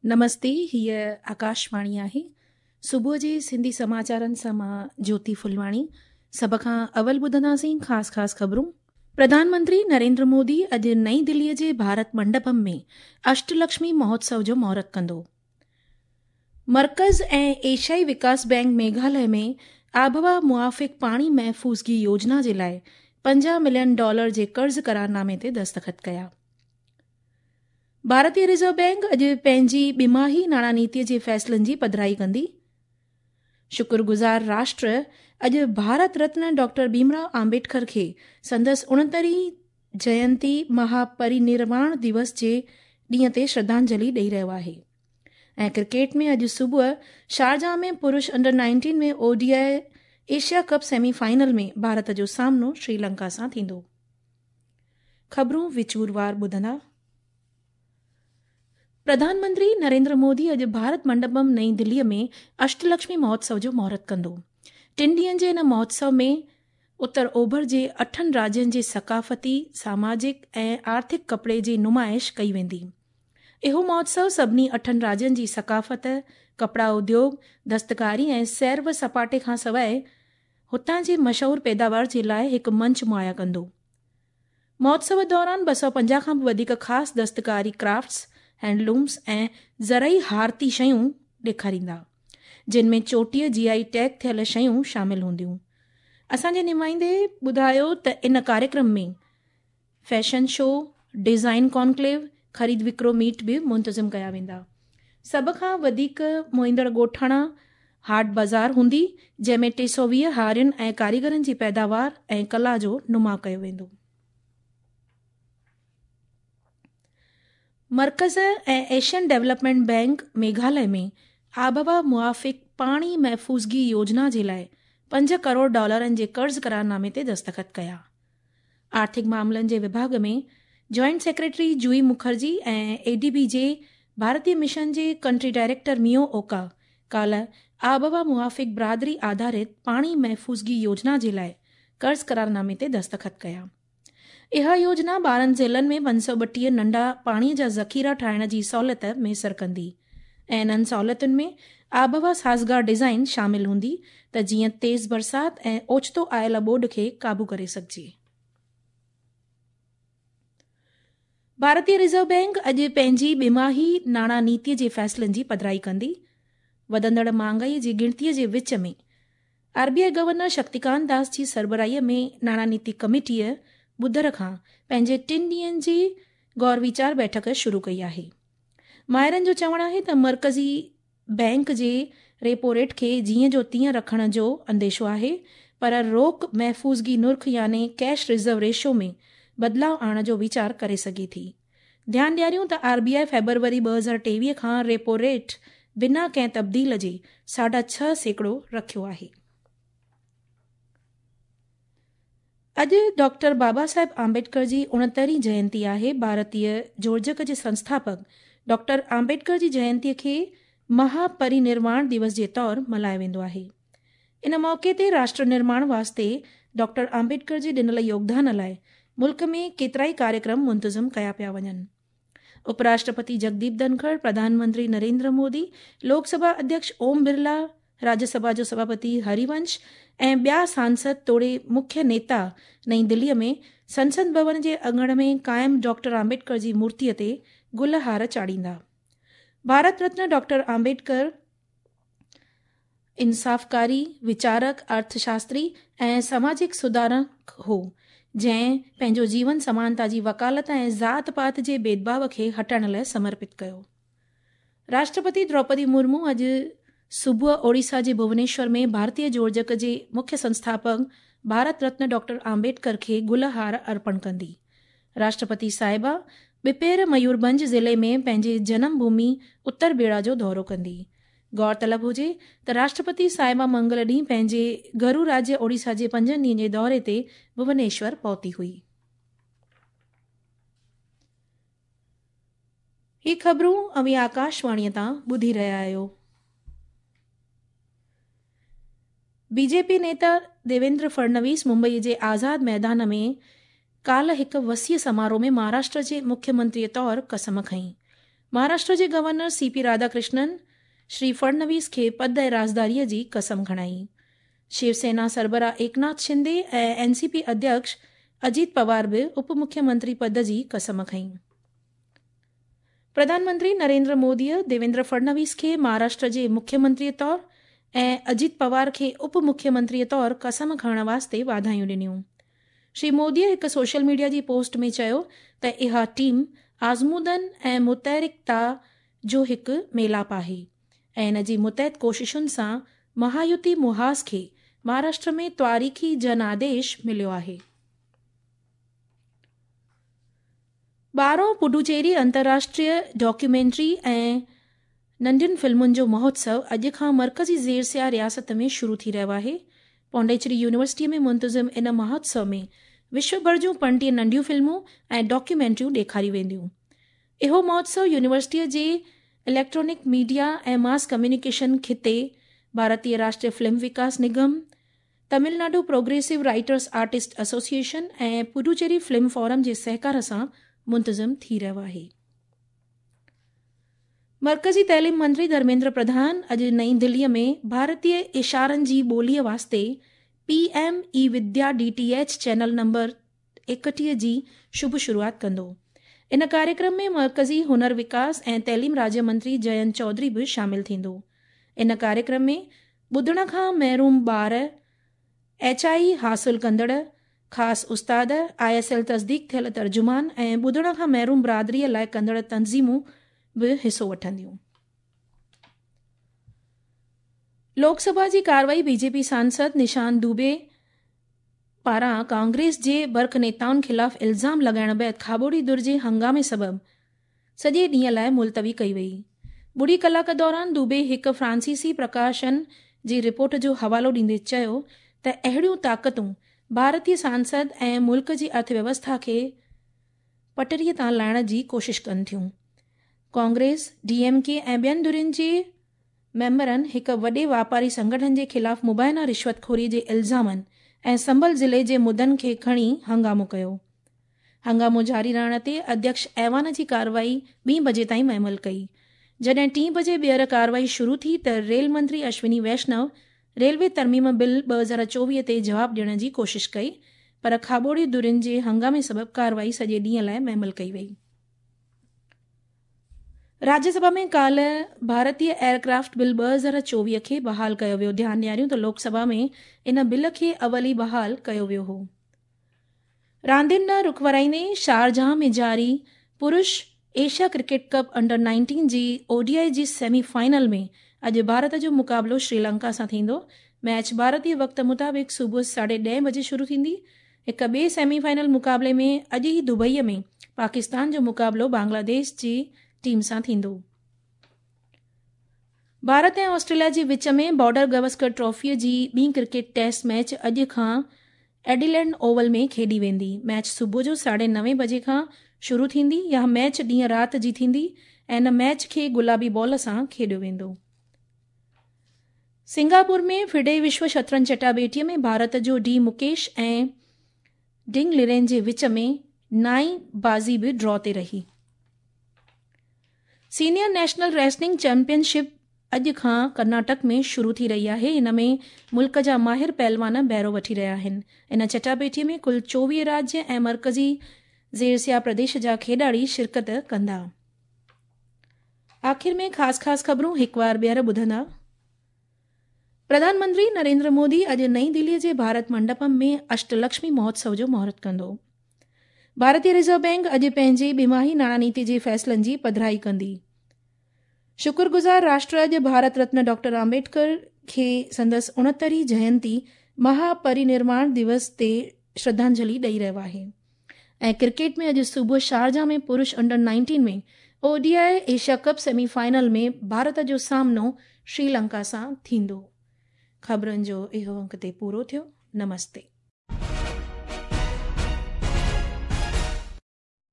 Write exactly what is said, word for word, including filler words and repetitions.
نمستي، هيء آڪاشواڻي آهي. صبح جي سنڌي سماچارن سان مان جيوتي ڦلواڻي. سڀ کان اول ٻڌنداسين خاص خاص خبرون. پرڌان منتري نريندر مودي اڄ نئين دليء جي ڀارت منڊپم ۾ اشٽلڪشمي مهوتسو جو مهورت ڪندو. مرڪز ۽ ايشيائي وڪاس بينڪ ميگهاليه ۾ آبهوا موافق پاڻي محفوظگي يوجنا جي لاءِ پنجاهه ملين ڊالر جي قرض قرارنامي تي دستخط ڪيا. ڀارتيه رزرو بينڪ اڄ پنهنجي ٻماهي ناڻا نيتيء جي فيصلن جي پڌرائي ڪندي. شڪرگذار راشٽر اڄ ڀارت رتن ڊاڪٽر ڀيمراؤ آمبيڊڪر کي سندس اڻهترهين جينتي مهاپرينرواڻ دوس جي ڏينهن تي شرڌانجلي ڏئي رهيو آهي. ۽ ڪرڪيٽ ۾ اڄ صبح شارجه ۾ پرش under nineteen ۾ O D I Asia cup semi final ۾ Bharat جو سامنو شري لنڪا سان ٿيندو. خبرون وچوروار ٻڌندا. پرڌان منتري نريندر مودي اڄ ڀارت منڊپم نئين دليء ۾ اشٽلڪشمي مهوتسو جو مهورت ڪندو. ٽن ڏينهن جي هن مهوتسو ۾ اتر اوڀر جي اٺن راجين جي ثقافتي، ساماجڪ ۽ آرٿڪ ڪپڙي جي نمائش ڪئي ويندي. اهو مهوتسو سڀني اٺن راجين جي ثقافت، ڪپڙا اديوگ، دستڪاري ۽ سير و سپاٽي کان سواءِ هتان جي مشهور پيداوار جي لاءِ هڪ منچ مهيا ڪندو. مهوتسو دوران ٻه سؤ پنجاهه کان به وڌيڪ خاص دستڪاري ڪرافٽس، هينڊلومز ۽ زرعي هارتي شيون ڏيکاريندا، جن ۾ چوٽيهه جي I ٽيگ ٿيل شيون شامل هونديون. اسان جي نمائندي ٻڌايو ته ان ڪاريڪرم ۾ فيشن شو، ڊيزائن ڪانڪليو، خريد وڪرو ميٽ به منتظم ڪيا ويندا. سڀ کان وڌيڪ موهيندڙ ڳوٺاڻا هاٽ بازار هوندي، جنهن ۾ ٽي سؤ ويهه هارين ۽ ڪاريگرن جي پيداوار ۽ ڪلا جو نماءُ ڪيو ويندو. مرڪز ۽ ايشين ڊولپمينٽ بينڪ ميگهاليه ۾ آبهوا موافق پاڻي محفوظگي يوجنا جي لاءِ پنج ڪروڙ ڊالرن جي قرض قرارنامي تي دستخط ڪيا. آرٿڪ معاملن جي وڀاڳ ۾ joint secretary Joy Mukherjee ۽ A D B جي ڀارتيه مشن جي ڪنٽري ڊائريڪٽر ميو اوڪا ڪالهه آبهوا موافق برادري آڌارت پاڻي محفوظگي يوجنا جي لاءِ قرض قرارنامي تي دستخط ڪيا. اها يوجنا ٻارهن ضلعن ۾ پنج سؤ ٻٽيهه ننڍا پاڻيءَ جا ذخيرا ٺاهڻ جي سهوليت ميسر ڪندي ۽ انهن سهوليتن ۾ آبهوا سازگار ڊيزائن شامل هوندي ته جيئن تيز برسات ۽ اوچتو آيل ٻوڏ کي قابو ڪري سگهجي. ڀارتيه رزرو بينڪ اڄ پنهنجي ٻماهي ناڻا نيتيءَ جي فيصلن جي پڌرائي ڪندي. وڌندڙ مهانگائيءَ جي ڳڻتيءَ جي وچ ۾ R B I governor Shaktikanta Das جي سربراهيءَ ۾ ناڻا نيتي ڪميٽيءَ ٻڌر کان پنهنجي ٽن ڏينهن جي غور ويچار بيٺڪ شروع ڪئي آهي. ماهرن جو چوڻ آهي ته مرڪزي بينڪ جي ريپو ريٽ کي جيئن جو تيئن رکڻ جو انديشو آهي، پر روڪ محفوظگي نرخ يعني ڪيش رزرو ريشو ۾ بدلاءُ آڻڻ جو ويچار ڪري سگهي ٿي. ڌيان ڏياريون ته آر بي I February ٻه هزار ٽيويهه کان ريپو ريٽ بنا ڪنهن تبديل جي ساڍا ڇهه سيڪڙو رکيو آهي. اڄ ڊاڪٽر بابا صاحب آمبيڊڪر جي اڻهترهين جينتي آهي. ڀارتيه جوڙجڪ جي سنسٿاپڪ ڊاڪٽر آمبيڊڪر جي جينتيءَ کي مهاپرينرواڻ دوس جي طور ملهايو ويندو آهي. ان موقعي تي راشٽر نرماڻ واسطي ڊاڪٽر آمبيڊڪر جي ڏنل يوگدان لاءِ ملڪ ۾ ڪيترائي ڪاريڪرم منتظم ڪيا پيا وڃن. اپراشٽرپتي جگديپ ڌنکڙ، پرڌان منتري نريندر مودي، لوڪ سڀا اڌيڪش اوم برلا، راجيه سڀا جو سڀاپتي هريونش ۽ ٻيا سانسد توڙي مکيه نيتا نئين دليءَ ۾ سنسد ڀون جي اڱڻ ۾ قائم ڊاڪٽر آمبيڊڪر جي مورتيءَ تي گل هار چاڙهيندا. ڀارت رتن ڊاڪٽر آمبيڊڪر انصافڪاري، ويچارڪ، ارٿشاستري ۽ سماجڪ سڌارڪ هو، جنهن پنهنجو جيون سمانتا جي وڪالت ۽ ذات پات جي ڀيدڀاءُ کي هٽائڻ لاءِ سمرپت ڪيو. راشٽرپتي دروپدي مرمو اڄ صبح اوڙيسا جي ڀونيشور ۾ ڀارتيه جوڙجڪ جي مکيه سنسٿاپڪ ڀارت رتن ڊاڪٽر آمبيڊڪر کي گل هار ارپڻ ڪندي. راشٽرپتي صاحبه ٻپهر ميورڀنج ضلعي ۾ پنهنجي جنم ڀومي اتر بيڙا جو دورو ڪندي. غور طلب هجي ته راشٽرپتي صاحبه منگل ڏينهن پنهنجي گهرو راجيه اوڙيسا جي پنجن ڏينهن جي دوري تي ڀونيشور پهتي هئي. هي خبرون اوهين آڪاشواڻيءَ تان ٻڌي رهيا آهيو. بي جي پي نيتا ديويندر فڙنويس ممبئي جي آزاد ميدان ۾ ڪالهه هڪ وسيع سماروهه ۾ مهاراشٽر جي مکيه منتريءَ طور قسم کنئي. مهاراشٽر جي governor C P Radhakrishnan Shri Fadnavis کي پد ۽ رازداريء جي قسم کڻائي. شيو سينا سربراهه ايڪناٿ شندي ۽ اين سي پي اڌيڪش اجيت پوار به اپ مکيه منتري پد جي قسم کنئي. پرڌان منتري نريندر موديء ديويندر فڙنويس کي مهاراشٽر جي مکيه منتريء طور ۽ اجيت پوار کي اپ مکيه منتريء طور قسم کڻڻ واسطي واڌايون ڏنيون. شري موديء هڪ سوشل ميڊيا جي پوسٽ ۾ چيو ته اها ٽيم آزمودن ۽ متحرڪتا جو هڪ ميلاپ آهي ۽ ان جي متحد ڪوششن سان مهايوتي محاذ کي مهاراشٽر ۾ تواريخي جن آديش مليو آهي. ٻارهون پڊوچيري انترراشٽريه ڊاڪيومينٽري ۽ ننڍين فلمن جو مهوتسو اڄ کان مرڪزي زيرسيا رياست ۾ شروع ٿي رهيو آهي. پانڊيچيري يونيورسٽيء ۾ منتظم ان مهوتسو ۾ وشو ڀر جون پنجٽيهه ننڍيون فلمون ۽ ڊاڪيومينٽريون ڏيکاريون وينديون. اهو مهوتسو يونيورسٽيء جي اليڪٽرانڪ ميڊيا ۽ ماس ڪميونيڪيشن خطي، ڀارتيه Rashtriya film Vikas Nigam, Tamil Nadu progressive writers artist association ۽ Puducherry film forum جي سهڪار سان منتظم ٿي رهيو آهي. مرڪزي تعليم منتري ڌرميندر پرڌان اڄ نئين دليء ۾ ڀارتيه اشارن جي ٻوليء واسطي P M e Vidya D T H channel number ايڪٽيهه جي شڀ شروعات ڪندو. ان ڪاريڪرم ۾ مرڪزي هنر وڪاس ۽ تعليم راجيه منتري جينت چوڌري به شامل ٿيندو. ان ڪاريڪرم ۾ ٻڌڻ کان محروم ٻار، ايڇ I حاصل ڪندڙ، خاص استاد، I S L تصديق ٿيل ترجمان ۽ ٻڌڻ کان محروم برادريء لاءِ ڪندڙ تنظيمون به حصو وٺنديون. لوڪ سڀا جي ڪارروائي بي جي پي سانسد نشانت دوبي پاران ڪانگريس جي برک نيتائن خلاف الزام لڳائڻ بعد کاٻوڙي ڌر جي هنگامي سبب سڄي ڏينهن لاءِ ملتوي ڪئي وئي. ٻڙي ڪلاڪ دوران دوبي هڪ فرانسيسي پرڪاشن جي رپورٽ جو حوالو ڏيندي چيو ته اهڙيون طاقتون ڀارتيه سانسد ۽ ملڪ جي ارٿ ويوسٿا کي پٽڙيءَ تان لاهڻ جي ڪوشش ڪن ٿيون. ڪانگريس، ڊي ايم ڪي ۽ ٻين ڌرين جي ميمبرن هڪ وڏي واپاري سنگٺن جي خلاف مبينا رشوت خوري جي الزامن ۽ سنڀل ضلعي جي مدعن کي کڻي هنگامو ڪيو. هنگامو جاري رهڻ تي اڌيڪش ايوان جي ڪارروائي ٻين بجي تائين معمل ڪئي. جڏهن ٽين بجي ٻيهر ڪارروائي شروع ٿي ته ريل منتري اشوني ويشنو ريلوي ترميم بل ٻه هزار چوويهه تي جواب ڏيڻ جي ڪوشش ڪئي، پر کاٻوڙي ڌرين جي هنگامي سبب ڪارروائي سڄي ڏينهن لاءِ معمل ڪئي وئي. راجيه سڀا ۾ ڪالهه ڀارتيه ايئرڪرافٽ بل ٻه هزار چوويهه کي بحال ڪيو ويو. ڌيان ڏياريون ته لوڪ سڀا ۾ ان بل کي اول ئي بحال ڪيو ويو هو. راندين ڏانهن رخ ورائيندي شارجاه ۾ جاري پرش Asia cricket cup under nineteen جي او ڊي I جي سيمي فائنل ۾ اڄ ڀارت جو مقابلو شري لنڪا سان ٿيندو. ميچ ڀارتيه وقت مطابق صبح ساڍي ڏهين بجي شروع ٿيندي. هڪ ٻئي سيمي فائنل مقابلي ۾ اڄ ئي دبئيءَ ۾ پاڪستان جو مقابلو بنگلاديش جي ٽيم سان ٿيندو. ڀارت ۽ آسٽريليا جي وچ ۾ بارڊر گواسڪر ٽرافيءَ جي ٻي ڪرڪيٽ ٽيسٽ ميچ اڄ کان ايڊيليڊ اوول ۾ کيڏي ويندي. ميچ صبح جو ساڍي نوين بجي کان شروع ٿيندي. اها ميچ ڏينهن رات جي ٿيندي ۽ ان ميچ کي گلابي بال سان کيڏيو ويندو. سنگاپور ۾ فڊي وشو شطرنج چٽاڀيٽيءَ ۾ ڀارت جو ڊي مڪيش ۽ ڊنگ لرين جي وچ ۾ نائين بازي به ڊرا تي رهي. Senior national wrestling champion ship اڄ کان ڪرناٽڪ ۾ شروع ٿي رهي آهي. ان ۾ ملڪ جا ماهر پهلوان بهرو وٺي رهيا آهن. ان چٽاڀيٽيءَ ۾ ڪل چوويهه راجيه ۽ مرڪزي زيرسيا پرديش جا کيڏاڙي شرڪت ڪندا. آخر ۾ خاص خاص خبرون هڪ بار ٻيهر ٻڌندا. پرڌان منتري نريندر مودي اڄ نئين دليءَ جي ڀارت منڊپم ۾ اشٽلڪشمي مهوتسو جو مهورت ڪندو. ڀارتيه رزرو بينڪ اڄ پنهنجي ٻماهي ناڻا نيتي جي فيصلن جي پڌرائي ڪندي. شڪرگذار راشٽر اڄ ڀارت رتن ڊاڪٽر امبيڊڪر کي سندس اڻهترهين جينتي مهاپرنرواڻ دوس تي شرڌانجلي ڏئي رهيو آهي. ۽ ڪرڪيٽ ۾ اڄ صبح شارجاه ۾ پرش under nineteen ۾ O D I Asia cup semi final ۾ Bharat جو سامنو شري لنڪا سان ٿيندو. خبرن جو اهو انڪ تي پورو ٿيو. نمستي.